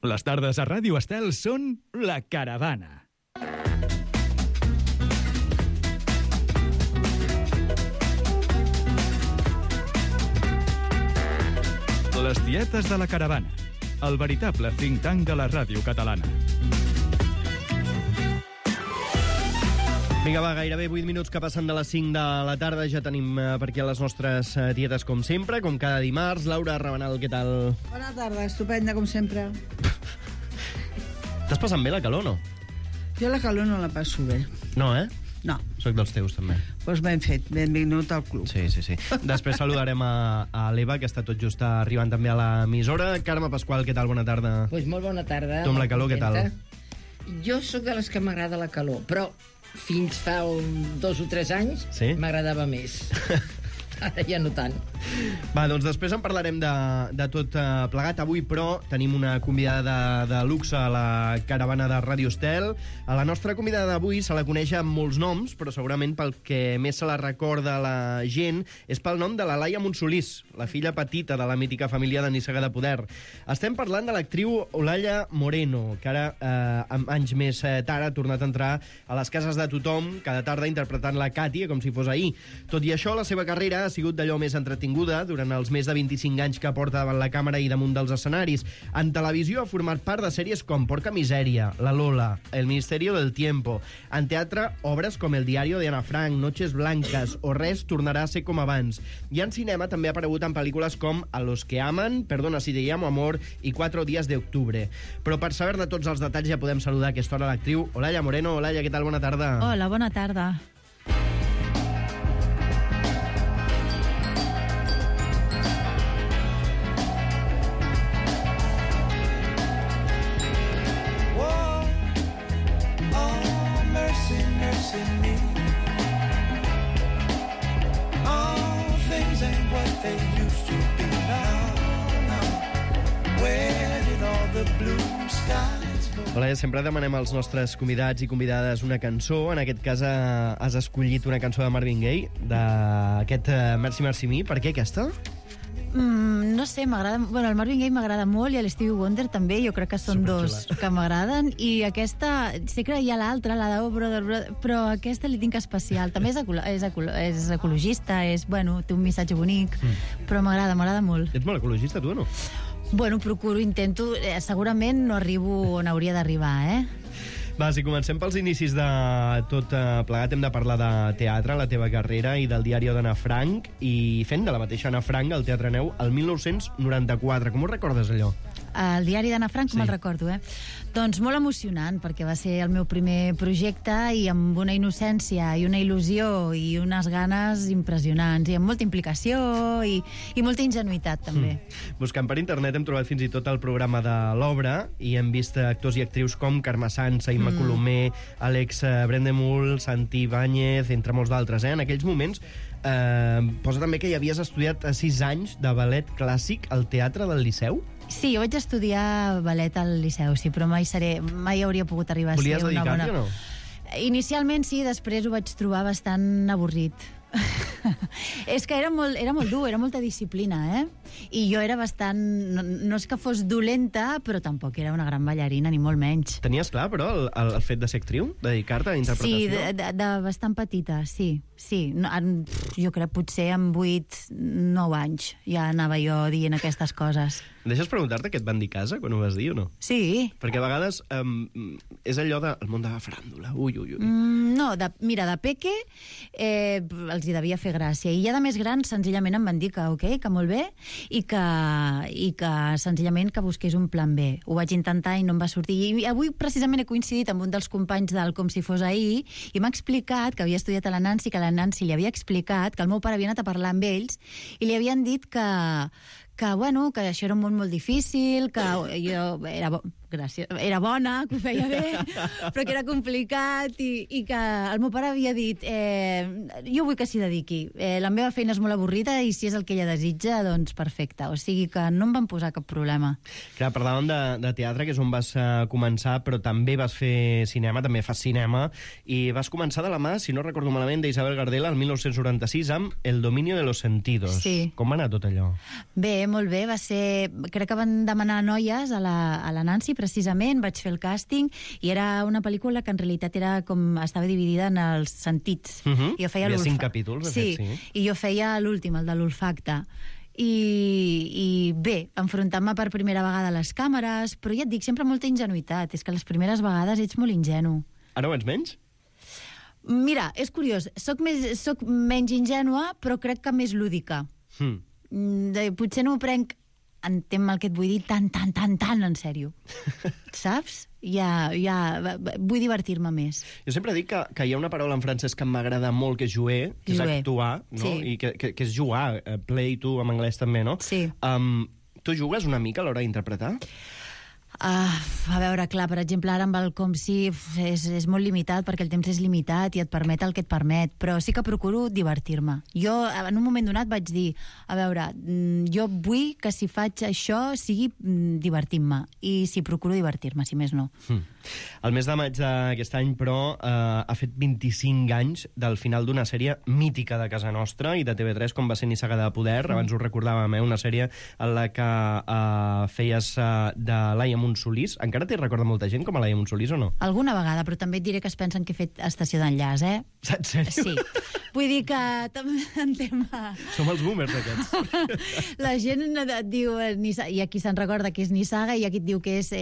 Les tardes a Ràdio Estel són La Caravana. Les tietes de La Caravana, el veritable think tank de la ràdio catalana. Vinga, va, gairebé 8 minuts que passen de les 5 de la tarda. Ja tenim per aquí les nostres tietes, com sempre, com cada dimarts. Laura Rabanal, què tal? Bona tarda, estupenda, com sempre. T'has passat bé la calor, no? Jo la calor no la passo bé. No, eh? No. Soc dels teus, també. Doncs ben fet, benvingut al club. Sí. Després saludarem a l'Eva, que està tot just arribant també a l'emissora. Carme Pasqual, què tal? Bona tarda. Pues molt bona tarda. Tu amb la calor, què tal? Jo sóc de les que m'agrada la calor, però fins fa 2 o 3 anys m'agradava més. Ara ja no tant. Va, doncs després en parlarem de tot plegat. Avui, però, tenim una convidada de luxe a la caravana de Ràdio Estel. A la nostra convidada d'avui se la coneix amb molts noms, però segurament pel que més se la recorda la gent és pel nom de la Laia Montsolís, la filla petita de la mítica família de Nissaga de Poder. Estem parlant de l'actriu Olalla Moreno, que ara, anys més tard, ha tornat a entrar a les cases de tothom cada tarda interpretant la Càtia com si fos ahir. Tot i això, la seva carrera ha sigut d'allò més entretinguda durant els més de 25 anys que porta davant la càmera i damunt dels escenaris. En televisió ha format part de sèries com Porca Misèria, La Lola, El Ministerio del Tiempo. En teatre, obres com El diario de Ana Frank, Noches Blancas o Res tornarà a ser com abans. I en cinema també ha aparegut en pel·lícules com A los que aman, Perdona si te llamo amor i 4 días de octubre. Però per saber de tots els detalls ja podem saludar a aquesta hora l'actriu Olalla Moreno. Olalla, què tal? Bona tarda. Hola, bona tarda. Hola, sempre demanem als nostres convidats i convidades una cançó. En aquest cas has escollit una cançó de Marvin Gaye, d'aquest Merci Merci Me. Per què aquesta? No sé, m'agrada... Bueno, el Marvin Gaye m'agrada molt i l'Stevie Wonder també, jo crec que són dos que m'agraden. I aquesta, sé que hi ha l'altra, la de Oh Brother, però aquesta li tinc especial. També és ecologista, bueno, té un missatge bonic, però m'agrada molt. Ets molt ecologista, tu, o no? Bueno, procuro, intento... segurament no arribo on hauria d'arribar, Va, si comencem pels inicis de tot plegat, hem de parlar de teatre, la teva carrera, i del diari d'Anna Frank, i fent de la mateixa Anna Frank al Teatre Neu el 1994. Com ho recordes, allò? El diari d'Anna Frank, com el recordo, Doncs molt emocionant, perquè va ser el meu primer projecte i amb una innocència i una il·lusió i unes ganes impressionants, i amb molta implicació i molta ingenuïtat, també. Buscant per internet hem trobat fins i tot el programa de l'obra i hem vist actors i actrius com Carme Sansa, Imma Colomer, Àlex Brendemul, Santi Ibáñez, entre molts d'altres. En aquells moments posa també que hi havies estudiat 6 anys de ballet clàssic al Teatre del Liceu. Sí, jo vaig estudiar ballet al Liceu, sí, però mai hauria pogut arribar a ser una bona... Volies dedicar-t'hi o no? Inicialment sí, després ho vaig trobar bastant avorrit. És que era molt dur, era molta disciplina, I jo era bastant... No és que fos dolenta, però tampoc era una gran ballarina, ni molt menys. Tenies clar, però, el fet de ser actriu? Dedicar-te a la interpretació? Sí, de bastant petita, sí. Jo crec potser amb 8-9 anys ja anava jo dient aquestes coses. Deixes preguntar-te què et van dir a casa quan ho vas dir o no? Sí. Perquè a vegades és allò del món de la faràndula. Ui. No, mira, de peque els hi devia fer gràcia. I ja de més gran, senzillament em van dir que que molt bé, i que senzillament que busqués un plan B. Ho vaig intentar i no em va sortir. I avui precisament he coincidit amb un dels companys del Com si fos ahir i m'ha explicat que havia estudiat a la Nancy, que la Nancy li havia explicat que el meu pare havia anat a parlar amb ells i li havien dit que això era un món molt difícil, que jo era gràcies. Era bona, que ho feia bé, però que era complicat i que el meu pare havia dit jo vull que s'hi dediqui. La meva feina és molt avorrida i si és el que ella desitja, doncs perfecte. O sigui que no em van posar cap problema. Clar, parlàvem de teatre, que és on vas començar, però també vas fer cinema, també fas cinema, i vas començar de la mà, si no recordo malament, d'Isabel Gardela el 1996 amb El dominio de los sentidos. Sí. Com va anar tot allò? Bé, molt bé, va ser... Crec que van demanar noies a la Nancy, precisament, vaig fer el càsting, i era una pel·lícula que en realitat era com estava dividida en els sentits. I jo feia hi ha 5 capítols, de fet, sí. I jo feia l'últim, el de l'olfacte. I bé, enfrontant-me per primera vegada a les càmeres, però ja et dic, sempre molta ingenuïtat. És que les primeres vegades ets molt ingenu. Ara ho ets menys? Mira, és curiós, soc menys ingènua, però crec que més lúdica. Potser no m'ho prenc, entenc el que et vull dir, tan en sèrio. Saps? Ja, vull divertir-me més. Jo sempre dic que hi ha una paraula en francès que m'agrada molt, que és jouer, que és actuar, no? Sí. I que és jugar, play to, en anglès també, no? Sí. Tu jugues una mica a l'hora d'interpretar? A veure, clar, per exemple, ara amb el com si és molt limitat, perquè el temps és limitat i et permet el que et permet, però sí que procuro divertir-me. Jo, en un moment donat, vaig dir, a veure, jo vull que si faig això sigui divertint-me, i si procuro divertir-me, si més no. El mes de maig d'aquest any, però, ha fet 25 anys del final d'una sèrie mítica de casa nostra i de TV3, com va ser Nissaga de Poder. Abans ho recordàvem, una sèrie en la que feies de Laia Montsolís. Encara t'hi recorda molta gent com a Laia Montsolís o no? Alguna vegada, però també et diré que es pensen que he fet estació d'enllaç, En sèrio? Sí. Vull dir que també en tema... Som els boomers, aquests. La gent et diu i aquí se'n recorda que és Nissaga i aquí et diu que és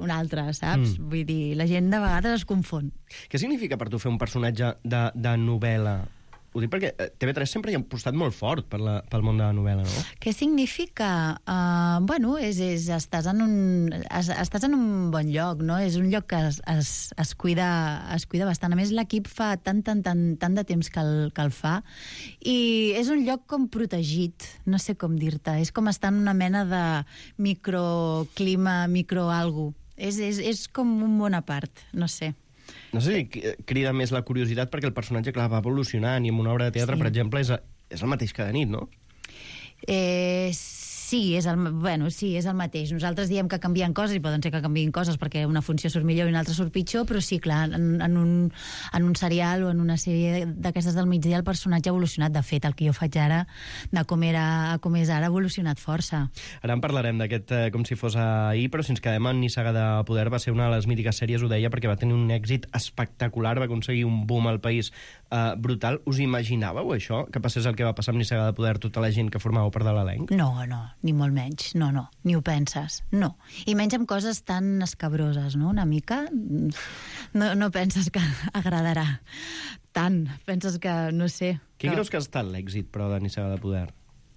un altre, saps? Vull dir, la gent de vegades es confon. Què significa per tu fer un personatge de novel·la? Ho dic perquè TV3 sempre hi ha apostat molt fort pel món de la novel·la, no? Què significa? Bueno, estàs en un bon lloc, no? És un lloc que es cuida bastant. A més, l'equip fa tant de temps que el fa, i és un lloc com protegit, no sé com dir-te. És com estar en una mena de microclima, microalgo. És com un món a part, no sé. No sé si crida més la curiositat perquè el personatge, clar, va evolucionant i en una obra de teatre, per exemple, és el mateix cada nit, no? Sí, és el mateix. Nosaltres diem que canvien coses, i poden ser que canvien coses perquè una funció surt millor i una altra surt pitjor, però sí, clar, en un serial o en una sèrie d'aquestes del migdia el personatge ha evolucionat. De fet, el que jo faig ara, de com era a com és ara, ha evolucionat força. Ara en parlarem d'aquest com si fos ahir, però si ens quedem en Nissaga de Poder, va ser una de les mítiques sèries, ho deia, perquè va tenir un èxit espectacular, va aconseguir un boom al país brutal. Us imaginàveu això? Que passés el que va passar amb Nissaga de Poder, tota la gent que formàveu part de l'elenc? No, ni molt menys, no, ni ho penses, no. I menys amb coses tan escabroses, no?, una mica. No penses que agradarà tant, penses que, no sé... Què creus que ha estat l'èxit, però, de Nissaga de Poder?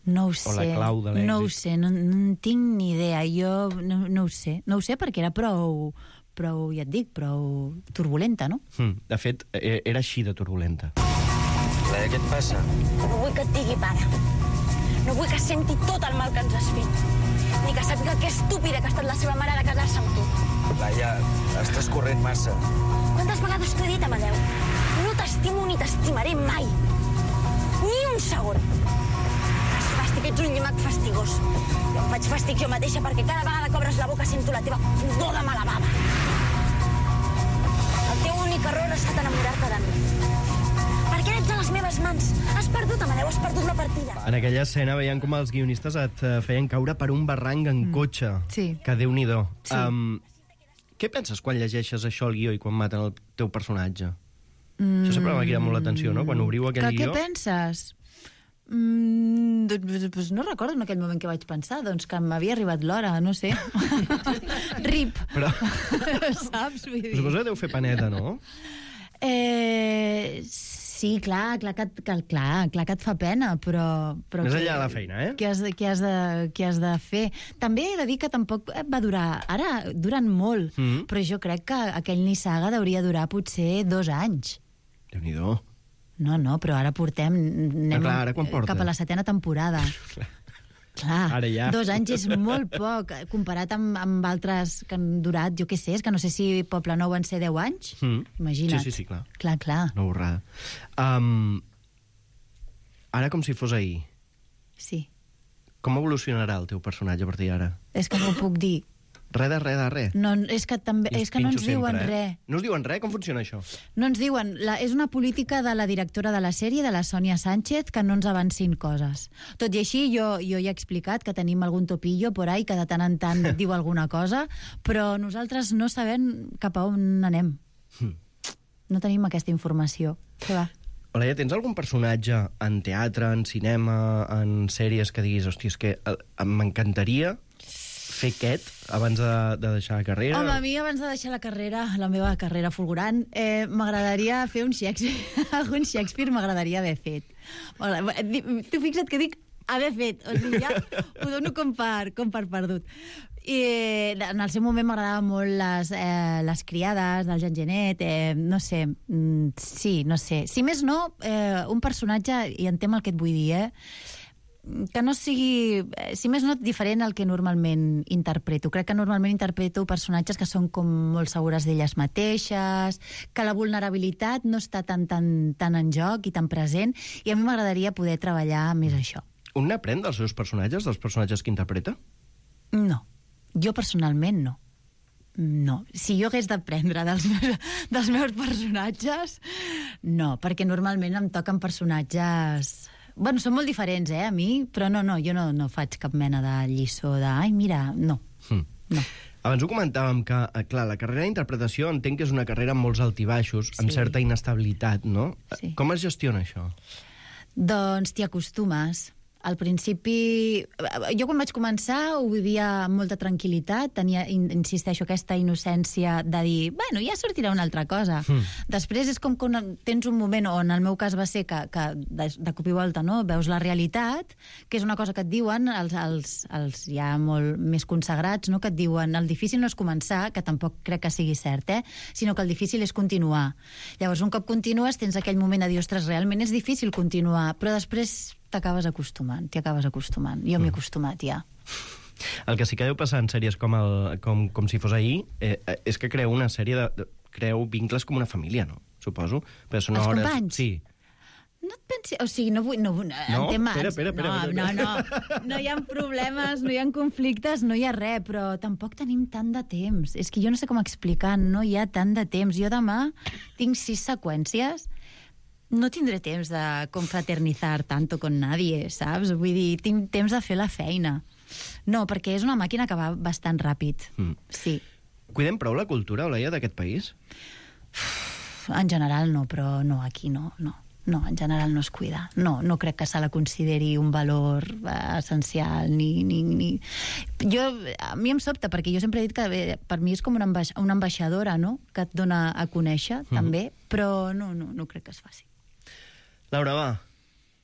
No ho sé. O la clau de l'èxit? No ho sé, no en tinc ni idea. Jo no ho sé. No ho sé perquè era prou, ja et dic, prou turbulenta, no? De fet, era així de turbulenta. Laia, què et passa? No vull que et digui pare. No vull que senti tot el mal que ens has fet. Ni que sàpiga que estúpida que ha estat la seva mare de casar-se amb tu. Laia, estàs corrent massa. Quantes vegades t'ho he dit, Amadeu? No t'estimo ni t'estimaré mai. Ni un segon. Fas fàstic, ets un llimac fastigós. Jo em faig fàstic jo mateixa perquè cada vegada que obres la boca sento la teva pudor de mala bava. El teu únic error ha estat enamorar-te de mi. Perquè ets a les meves mans. Has perdut, Amadeu, has perdut la partida. En aquella escena veiem com els guionistes et feien caure per un barranc en cotxe. Sí. Que Déu-n'hi-do. Sí. Què penses quan llegeixes això al guió i quan maten el teu personatge? Això sempre m'ha cridat molt l'atenció, no? Quan obriu aquell guió... Què penses? Doncs no recordo en aquell moment què vaig pensar, doncs que m'havia arribat l'hora, no sé. Rip. Però... Saps? Vull dir... Suposo que deu fer paneta, no? Sí, clar que et fa pena, però més enllà de la feina, Què has de fer? També he de dir que tampoc va durar... Ara duren molt, però jo crec que aquell Nissaga hauria durar potser 2 anys. Clar, Ara ja. 2 anys és molt poc, comparat amb altres que han durat, jo què sé, és que no sé si Poble Nou van ser 10 anys. Imagina't. Sí, clar. Clar. Una borrada. Ara com si fos ahir. Sí. Com evolucionarà el teu personatge a partir d'ara? És que no ho puc dir. Res de res. No, és que no ens diuen res. No us diuen res? Com funciona això? No ens diuen. És una política de la directora de la sèrie, de la Sònia Sánchez, que no ens avancin coses. Tot i així, jo ja he explicat que tenim algun topillo por ahí que de tant en tant diu alguna cosa, però nosaltres no sabem cap a on anem. No tenim aquesta informació. Què va? Olaia, tens algun personatge en teatre, en cinema, en sèries que diguis, hòstia, és que m'encantaria fer aquest abans de deixar la carrera? Home, a mi abans de deixar la carrera, la meva carrera fulgurant, m'agradaria fer un Shakespeare. Algun Shakespeare m'agradaria haver fet. Tu fixa't que dic haver fet, o sigui, ja ho dono com per perdut. I en el seu moment m'agradava molt les criades del Jean Genet, no sé, sí, no sé. Si més no, un personatge, i entenc el que et vull dir, que no sigui, si més no, diferent al que normalment interpreto. Crec que normalment interpreto personatges que són com molt segures d'elles mateixes, que la vulnerabilitat no està tan en joc i tan present, i a mi m'agradaria poder treballar més això. Un n'aprèn dels seus personatges, dels personatges que interpreta? No. Jo personalment no. No. Si jo hagués d'aprendre dels meus personatges, no, perquè normalment em toquen personatges... Bueno, són molt diferents, a mi, però no, jo no faig cap mena de lliçó de... Ai, mira, no. No. Abans ho comentàvem que, clar, la carrera d'interpretació entenc que és una carrera amb molts altibaixos, amb Sí. certa inestabilitat, no? Sí. Com es gestiona això? Doncs t'hi acostumes. Al principi... Jo quan vaig començar ho vivia amb molta tranquil·litat, tenia, insisteixo, aquesta innocència de dir, bueno, ja sortirà una altra cosa. Després és com que tens un moment, o en el meu cas va ser que de cop i volta, no?, veus la realitat, que és una cosa que et diuen els ja molt més consagrats, no?, que et diuen el difícil no és començar, que tampoc crec que sigui cert, sinó que el difícil és continuar. Llavors, un cop continues, tens aquell moment de dir, ostres, realment és difícil continuar, però després t'hi acabes acostumant. Jo m'hi he acostumat, ja. El que sí que deu passar en sèries com si fos ahir és que creu una sèrie creu vincles com una família, no? Suposo. Però són Els hores... companys? Sí. No et pensi... O sigui, no vull... No, Espera. No hi ha problemes, no hi ha conflictes, no hi ha res, però tampoc tenim tant de temps. És que jo no sé com explicar, no hi ha tant de temps. Jo demà tinc 6 seqüències, no tindré temps de confraternizar tanto con nadie, saps? Vull dir, tinc temps de fer la feina. No, perquè és una màquina que va bastant ràpid. Sí. Cuidem prou la cultura, Olaia, d'aquest país? En general no, però no, aquí no. No, en general no es cuida. No crec que se la consideri un valor essencial, ni... A mi em sobta, perquè jo sempre he dit que per mi és com una ambaixadora, no?, que et dona a conèixer, també, però no crec que es faci. Laura, va,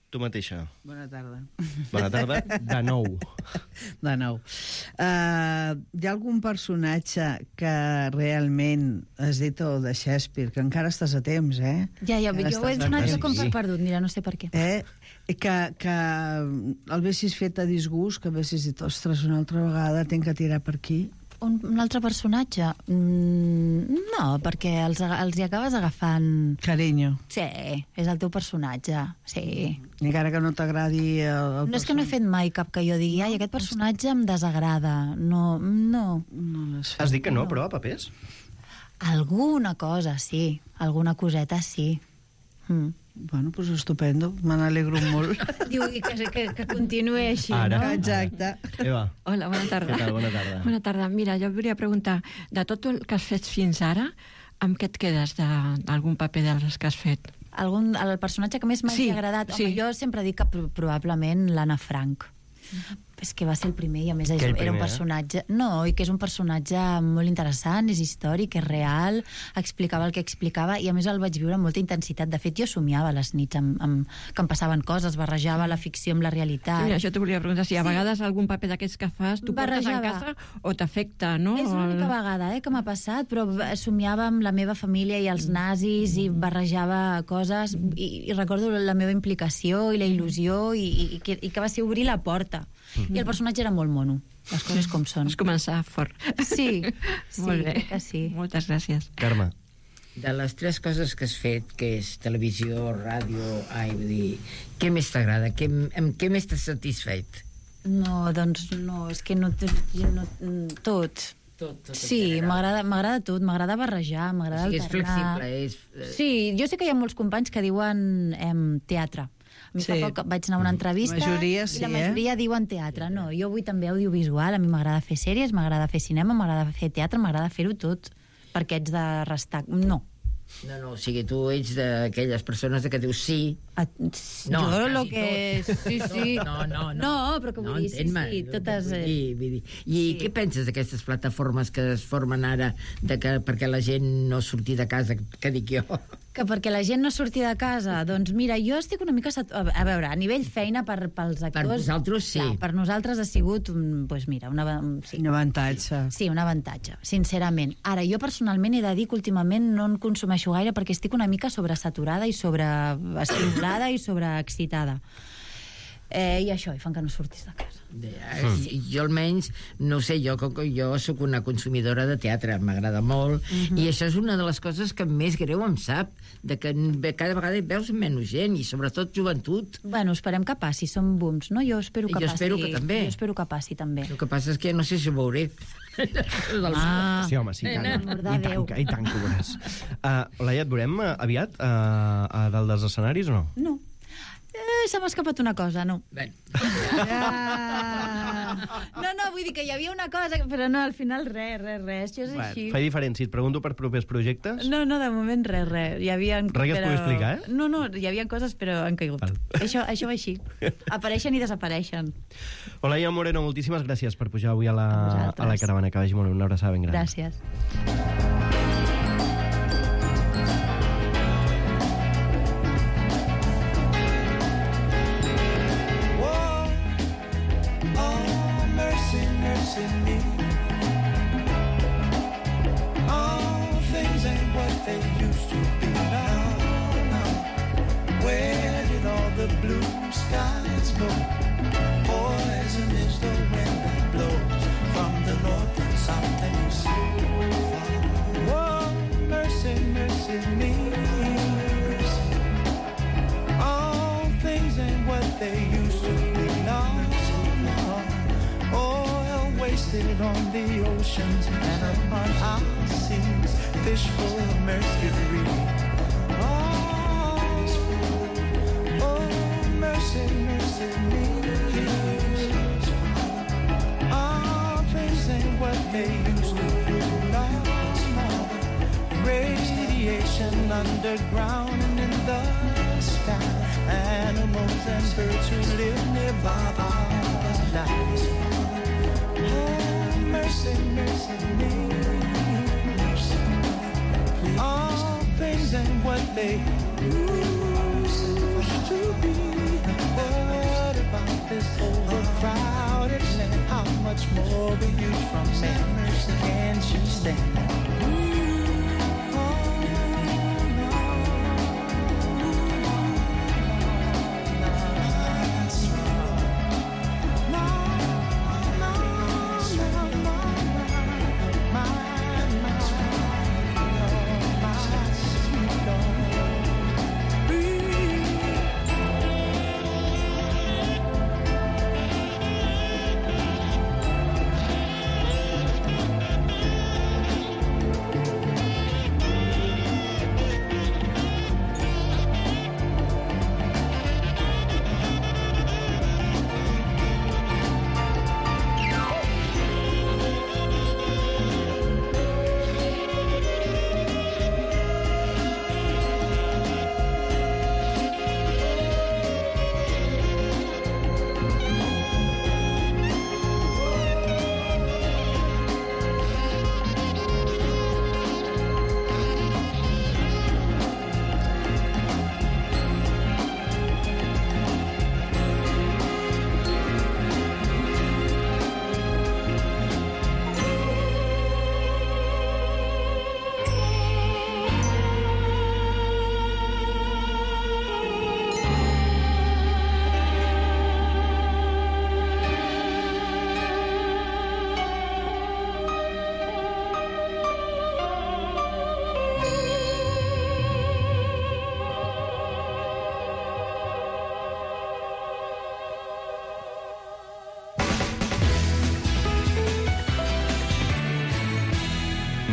tu mateixa. Bona tarda. Bona tarda, de nou. De nou. Hi ha algun personatge que realment has dit de Shakespeare, que encara estàs a temps, Ja, jo ho he donat com per perdut, mira, no sé per què. Que el haguessis fet a disgust, que haguessis dit, ostres, una altra vegada tinc que tirar per aquí. Un altre personatge? No, perquè els hi acabes agafant... Carinyo. Sí, és el teu personatge, sí. Encara que no t'agradi el No és que no he fet mai cap que jo digui, ai, aquest personatge em desagrada. No. Has dit que no, però, a papers? Alguna cosa, sí. Alguna coseta, sí. Bueno, doncs estupendo, me n'alegro molt. Diu que continuï així, Ara. no? Exacte. Eva. Hola, bona tarda. Què tal? Bona tarda. Bona tarda. Mira, jo volia preguntar, de tot el que has fet fins ara, amb què et quedes d'algun paper dels que has fet? El personatge que més m'ha agradat? Home, jo sempre dic que probablement l'Anna Frank. És que va ser el primer i a més era un personatge... No, i que és un personatge molt interessant, és històric, és real, explicava el que explicava i a més el vaig viure amb molta intensitat. De fet, jo somiava les nits que em passaven coses, barrejava la ficció amb la realitat. Mira, això t'ho volia preguntar, si a vegades algun paper d'aquests que fas tu portes en casa o t'afecta, no? És l'única vegada que m'ha passat, però somiava amb la meva família i els nazis i barrejava coses i recordo la meva implicació i la il·lusió i que va ser obrir la porta I el personatge era molt mono, les coses com són. Vas començar fort. Sí, Molt bé. crec que sí. Moltes gràcies. Carme. De les 3 coses que has fet, que és televisió, ràdio, vull dir, què més t'agrada? Amb què més t'has satisfet? No, doncs no, és que no... Tot. Sí, m'agrada tot, m'agrada barrejar, m'agrada O sigui, és alternar. flexible, Sí, jo sé que hi ha molts companys que diuen teatre. A mi fa poc vaig anar a una entrevista Majoria i sí, la majoria diuen teatre. No, jo vull també audiovisual, a mi m'agrada fer sèries, m'agrada fer cinema, m'agrada fer teatre, m'agrada fer-ho tot. Perquè ets de restar... No. No, o sigui, tu ets d'aquelles persones que dius sí. No, jo lo que... Sí. No, però que vull dir, sí, totes... Vull dir. I què penses d'aquestes plataformes que es formen ara perquè la gent no surti de casa, que dic jo? Que perquè la gent no surti de casa, doncs mira, jo estic una mica... A veure, a nivell feina pels actors... Per vosaltres sí. Clar, per nosaltres ha sigut, doncs mira, un avantatge. Sí, un avantatge, sincerament. Ara, jo personalment he de dir que últimament no en consumeixo gaire perquè estic una mica sobresaturada i sobreestimulada i sobreexcitada. I això, i fan que no surtis de casa. Jo almenys, no sé, jo sóc una consumidora de teatre, m'agrada molt, i això és una de les coses que més greu em sap, de que cada vegada hi veus menys gent, i sobretot joventut. Bueno, esperem que passi, són booms, no? Jo espero que passi. Jo espero que també. Jo espero que passi, també. El que passa és que no sé si ho veuré. Sí, home, sí, i tant que ho veuràs. Olaia, et veurem aviat a dalt dels escenaris o no? No. Se m'ha escapat una cosa, no. No, vull dir que hi havia una cosa, però no, al final res, això és així. Fai diferent, si et pregunto per propers projectes... No, de moment res. Hi havia... Res que es pugui explicar, eh? No, hi havia coses, però han caigut. Això va així. Apareixen i desapareixen. Olaia Moreno, moltíssimes gràcies per pujar avui a la caravana. Que vagi molt, una abraçada ben gran. Gràcies. On the oceans and upon our seas, fish full of mercury. Oh, mercy me. All things ain't what they used to be. No, radiation underground and in the sky. Animals and birds who live nearby are alive. Mercy me. All things ain't what they used to be. What about this overcrowded land? How much more will you from man? Can't you stand?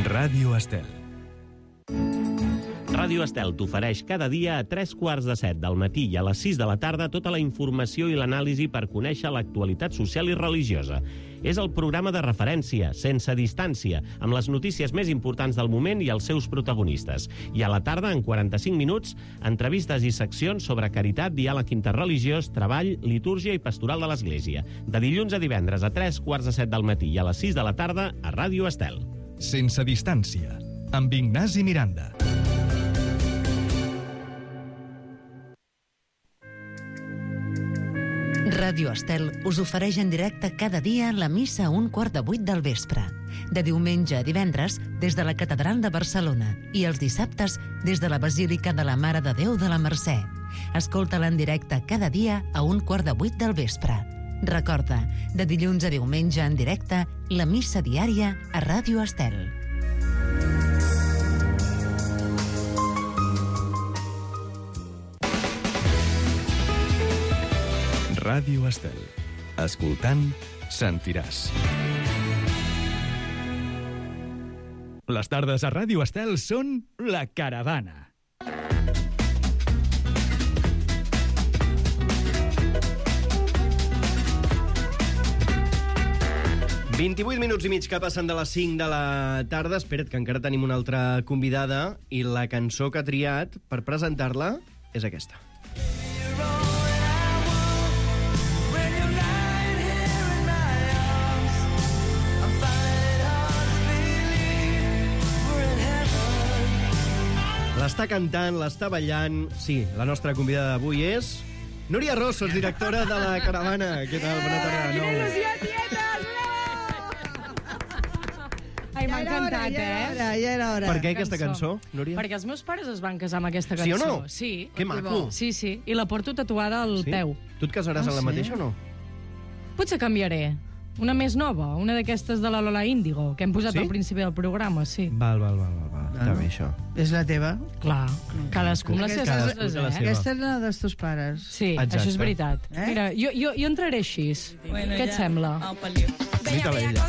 Ràdio Estel. Ràdio Estel t'ofereix cada dia a 3:15 del matí i a les 6 de la tarda tota la informació i l'anàlisi per conèixer l'actualitat social i religiosa. És el programa de referència, sense distància, amb les notícies més importants del moment i els seus protagonistes. I a la tarda, en 45 minuts, entrevistes i seccions sobre caritat, diàleg interreligiós, treball, litúrgia i pastoral de l'Església. De dilluns a divendres a 3:15 del matí i a les 6 de la tarda a Ràdio Estel. Sense distància, amb Ignasi Miranda. Ràdio Estel us ofereix en directe cada dia la missa a 7:15 del vespre. De diumenge a divendres, des de la Catedral de Barcelona, i els dissabtes, des de la Basílica de la Mare de Déu de la Mercè. Escolta-la en directe cada dia a 7:15 del vespre. Recorda, de dilluns a diumenge en directe, la missa diària a Ràdio Estel. Ràdio Estel. Escoltant, sentiràs. Les tardes a Ràdio Estel són La Caravana. ...28 minuts i mig que passen de les 5 de la tarda. Espera't, que encara tenim una altra convidada i la cançó que ha triat per presentar-la és aquesta. L'està cantant, l'està ballant... Sí, la nostra convidada d'avui és... Núria Rossos, directora de La Caravana. Què tal? Bona tarda de nou. ¡Quina il·lusió, tietes! Ai, m'ha encantat, Ja era hora. Per què aquesta cançó, Núria? Perquè els meus pares es van casar amb aquesta cançó. Sí o no? Sí. Que maco. Sí, sí. I la porto tatuada al peu. Tu et casaràs amb la mateixa o no? Potser canviaré. Una més nova, una d'aquestes de la Lola Índigo, que hem posat al principi del programa, sí. Val. Està bé, això. És la teva? Clar. Cadascú amb les seves coses, Aquesta és la dels teus pares. Sí, això és veritat. Mira, jo entraré així. Què et sembla? Mira-la ella.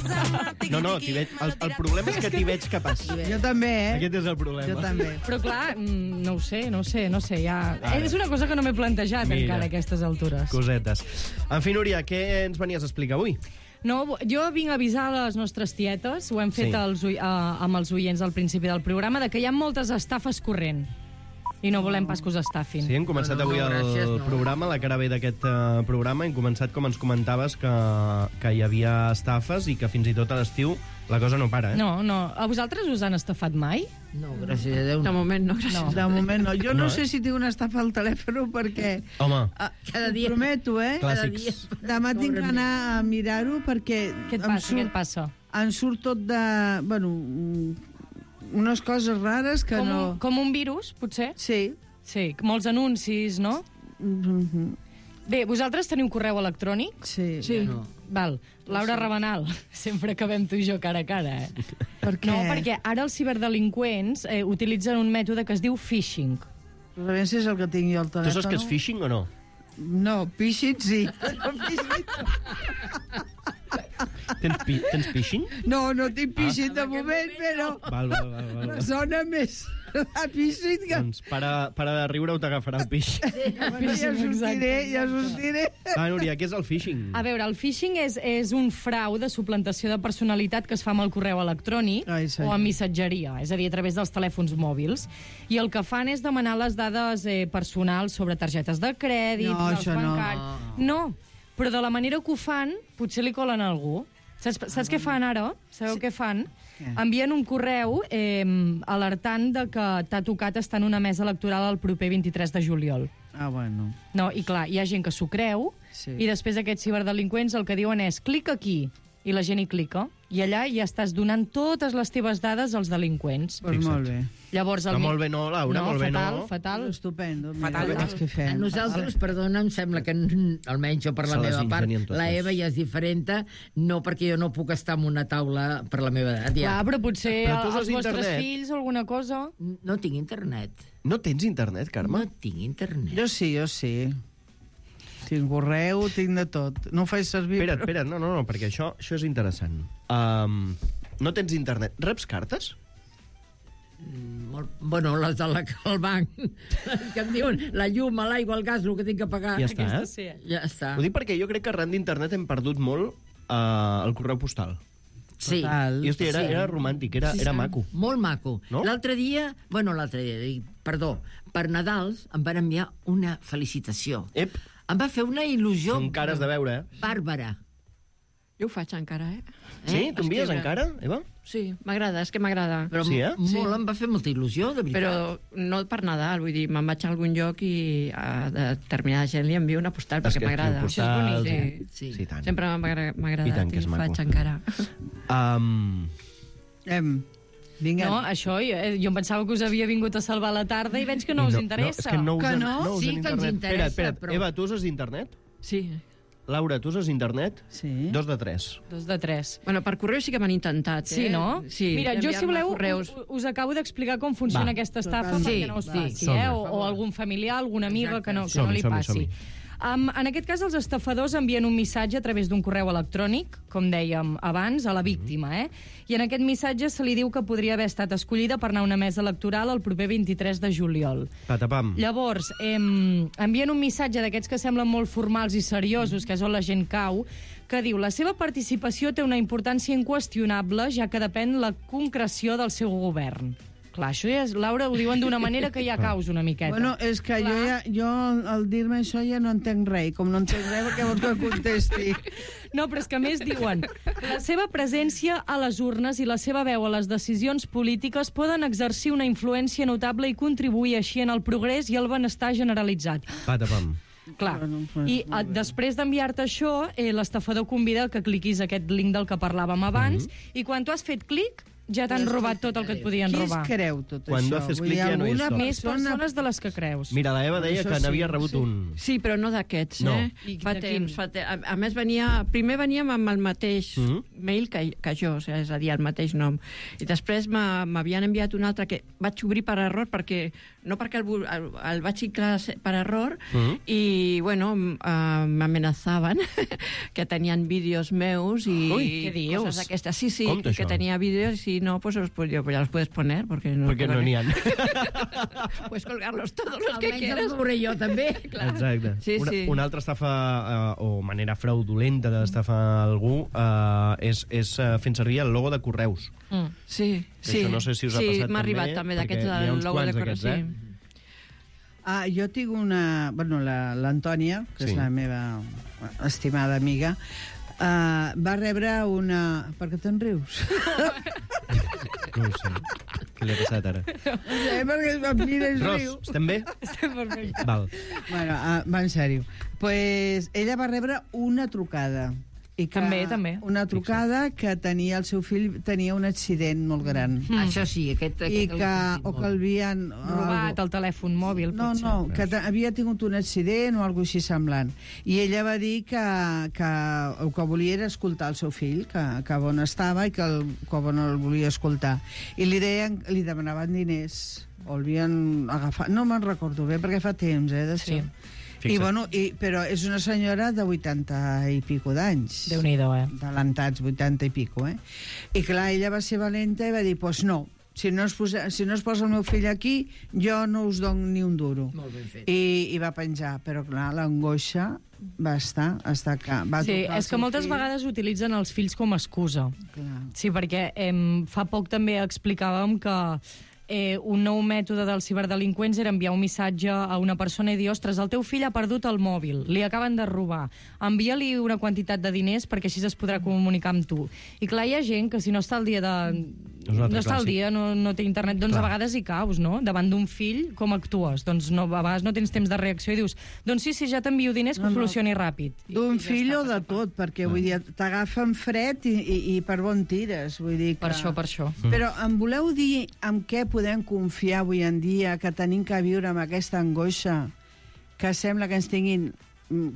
No, el problema és que t'hi veig capaç. Jo també, Aquest és el problema. Jo també. Però clar, no ho sé, ja... És una cosa que no m'he plantejat encara a aquestes altures. Cosetes. En fi, Núria, què ens venies a explicar avui? No, jo vinc a avisar les nostres tietes, ho hem fet amb els oients al principi del programa, de que hi ha moltes estafes corrent. I no volem pas que us estafin. Sí, hem començat avui el programa, la cara B d'aquest programa, hem començat, com ens comentaves, que hi havia estafes i que fins i tot a l'estiu la cosa no para, No. A vosaltres us han estafat mai? No, gràcies a Déu. De moment no, gràcies a Déu. De moment no. Jo no sé si tinc una estafa al telèfon perquè... Home. Cada dia. Prometo, Clàssics. Demà tinc que anar a mirar-ho perquè... Què et passa? Em surt tot de... Bueno, unes coses rares que no... Com un virus, potser? Sí. Sí, molts anuncis, no? Bé, vosaltres teniu correu electrònic? Sí. No. Val. Laura Rabanal, sempre acabem tu i jo cara a cara, Per què? No, perquè ara els ciberdelinqüents utilitzen un mètode que es diu phishing. A veure si és el que tinc jo al telèfon. Tu saps què és phishing o no? No, phishing sí. Tens phishing? No tinc phishing de moment, però... Val. Sona més a phishing que... Doncs para de riure o t'agafarà el pix. Ja sortiré. Va, Núria, què és el phishing? A veure, el phishing és un frau de suplantació de personalitat que es fa amb el correu electrònic o amb missatgeria, és a dir, a través dels telèfons mòbils. I el que fan és demanar les dades personals sobre targetes de crèdit, dels bancaris... No, però de la manera que ho fan, potser li colen a algú. Saps què fan ara? Sabeu què fan? Envien un correu alertant de que t'ha tocat estar en una mesa electoral el proper 23 de juliol. Ah, bueno. No, i clar, hi ha gent que s'ho creu, i després aquests ciberdelinqüents el que diuen és clica aquí, i la gent hi clica, i allà ja estàs donant totes les teves dades als delinqüents. Pues molt bé. Llavors, molt bé no, Laura, molt bé no. Fatal. Estupendo. Fatal. A nosaltres, perdona, em sembla que, almenys jo per la meva part, la Eva ja és diferent, no perquè jo no puc estar en una taula per la meva edat. Clar, però potser els vostres fills o alguna cosa... No tinc internet. No tens internet, Carme? No tinc internet. Jo sí. Tinc correu, tinc de tot. No ho faig servir... Espera't, no, perquè això és interessant. No tens internet. Reps cartes? Bueno, les del banc, que em diuen la llum, l'aigua, el gas, el que tinc que pagar. Ja està, Sí. Ja està. Ho dic perquè jo crec que arran d'internet hem perdut molt el correu postal. Sí. I, hòstia, era romàntic, era maco. Molt maco. No? L'altre dia, perdó, per Nadals em van enviar una felicitació. Ep. Em va fer una il·lusió... Són cares de veure, bàrbara. Jo ho faig encara, Sí? T'ho envies encara, Eva? Sí, m'agrada, és que m'agrada. Però molt, em va fer molta il·lusió, de veritat. Però no per Nadal, vull dir, me'n vaig a algun lloc i a determinada gent li envio una postal perquè m'agrada. Això és bonic. Sí. Sí, tant. Sempre m'ha agradat i ho faig encara. Vinga. No, això, jo em pensava que us havia vingut a salvar la tarda i veig que no us interessa. És que no Sí que ens interessa, Espera't, però... Eva, tu uses internet? Sí. Laura, tu uses internet? Sí. 2 de 3. 2 de 3. Bueno, per correu sí que m'han intentat, Sí, no? Sí. Mira, jo, si voleu, correus. us acabo d'explicar com funciona aquesta estafa perquè no us passi, o algun familiar, alguna amiga que no li passi. En aquest cas, els estafadors envien un missatge a través d'un correu electrònic, com dèiem abans, a la víctima, I en aquest missatge se li diu que podria haver estat escollida per anar a una mesa electoral el proper 23 de juliol. Patapam. Llavors, envien un missatge d'aquests que semblen molt formals i seriosos, que és on la gent cau, que diu: la seva participació té una importància inqüestionable, ja que depèn la concreció del seu govern. Clar, això ja és... Laura, ho diuen d'una manera que ja caus una miqueta. Bueno, és que jo al dir-me això ja no entenc res. Com no entenc res, perquè vols que contesti? No, però és que a més diuen: la seva presència a les urnes i la seva veu a les decisions polítiques poden exercir una influència notable i contribuir així en el progrés i el benestar generalitzat. Patapam. Clar, i després d'enviar-te això, l'estafador convida que cliquis aquest link del que parlàvem abans, i quan tu has fet clic, ja t'han robat tot el que et podien robar. Qui es creu tot Quan això? no haces clic ja no hi és tot. Més persones de les que creus. Mira, la Eva deia que n'havia rebut un... Sí, però no d'aquests, No. Fa temps. A més, primer veníem amb el mateix mail que jo, és a dir, el mateix nom. I després m'havien enviat un altre que vaig obrir per error, no perquè el vaig ciclar per error, i, bueno, m'amenazaven que tenien vídeos meus i què dius? coses d'aquestes. Sí, Com que això? tenia vídeos i no, pues ya los puedes poner, porque no n'hi ha. Puedes colgarlos todos los que Almenys quieras. els veuré jo, també. Exacte. Sí, sí. Una altra estafa o manera fraudulenta d'estafar algú és fent servir el logo de correus. Sí, Que això no sé si us ha passat m'ha arribat també d'aquests perquè n'hi ha uns logo de quants correus. d'aquests, Jo tinc una... Bueno, l'Antònia, que és la meva estimada amiga, va rebre una... Per què te'n rius? No ho sé. Què li ha passat ara? No sé, perquè em mira i Ros, riu. estem bé? Estem perfecte. Val. Bueno, va en sèrio. Pues ella va rebre una trucada. I que, També. Una trucada que el seu fill tenia un accident molt gran. Això sí, I que l'havien... Robat el telèfon mòbil, potser. No, que havia tingut un accident o alguna cosa així semblant. I ella va dir que el que volia era escoltar el seu fill, que on estava i que on el volia escoltar. I li demanaven diners, o el havien agafat... No me'n recordo bé, perquè fa temps, d'això. Sí. I, bueno, però és una senyora de 80 i pico d'anys. Déu-n'hi-do, Talentats, 80 i pico, I clar, ella va ser valenta i va dir, pues no, si no es posa el meu fill aquí, jo no us dono ni un duro. Molt ben fet. I va penjar, però clar, l'angoixa va estar que va Sí, trucar és que moltes vegades utilitzen els fills com a excusa. Clar. Sí, perquè fa poc també explicàvem que un nou mètode dels ciberdelinqüents era enviar un missatge a una persona i dir: ostres, el teu fill ha perdut el mòbil, li acaben de robar, envia-li una quantitat de diners perquè així es podrà comunicar amb tu. I clar, hi ha gent que si no està al dia no té internet, doncs a vegades hi caus, no? Davant d'un fill, com actues? Doncs a vegades no tens temps de reacció i dius: doncs sí, ja t'envio diners, que ho solucioni ràpid. D'un fill o de tot, perquè vull dir, t'agafen fred i per on tires, vull dir que... Per això. Però em voleu dir amb què podem confiar avui en dia, que tenim que viure amb aquesta angoixa, que sembla que ens tinguin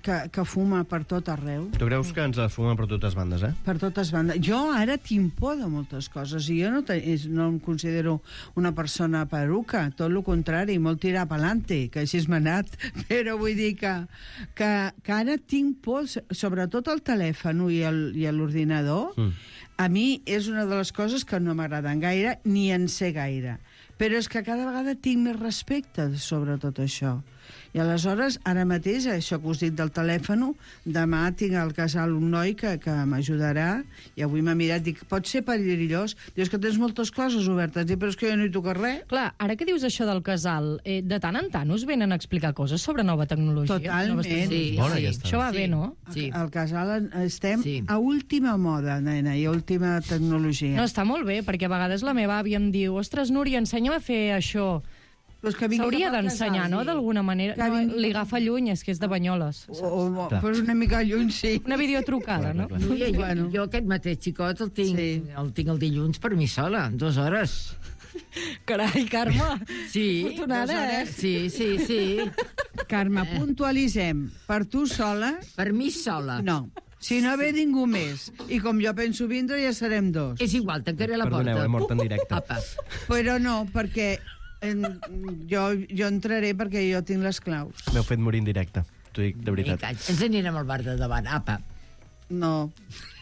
que fuma per tot arreu. Tu creus que ens la fumen per totes bandes, eh? Per totes bandes. Jo ara tinc por de moltes coses i jo no em considero una persona peruca, tot el contrari, molt tirar pa'lante, que així m'ha anat. Però vull dir que ara tinc por, sobretot el telèfon i l'ordinador. A mi és una de les coses que no m'agraden gaire, ni en sé gaire. Però és que cada vegada tinc més respecte sobre tot això. I aleshores, ara mateix, això que us dic del telèfon, demà tinc al casal un noi que m'ajudarà, i avui m'ha mirat, dic, pot ser perillós? Dius que tens moltes coses obertes, dic, però és que jo no hi toca res. Clar, ara que dius això del casal, de tant en tant us venen a explicar coses sobre nova tecnologia? Totalment. Sí. Això va bé, no? Sí. Al casal estem a última moda, nena, i a última tecnologia. No, està molt bé, perquè a vegades la meva àvia em diu, ostres, Núria, ensenya a fer això. S'hauria d'ensenyar, no?, d'alguna manera. No, li agafa lluny, és que és de Banyoles. Però una mica lluny, sí. Una videotrucada, no? Jo aquest mateix xicot el tinc el dilluns per mi sola, 2 hores. Carai, Carme. Sí. Afortunada, eh? Sí. Carme, puntualitzem. Per tu sola? Per mi sola. No. Si no ve ningú més, i com jo penso vindre, ja serem 2. És igual, tancaré la porta. Perdoneu, he mort en directe. Apa. Però no, perquè jo entraré perquè jo tinc les claus. M'heu fet morir en directe, t'ho dic de veritat. Ens anirem al bar de davant, apa. No,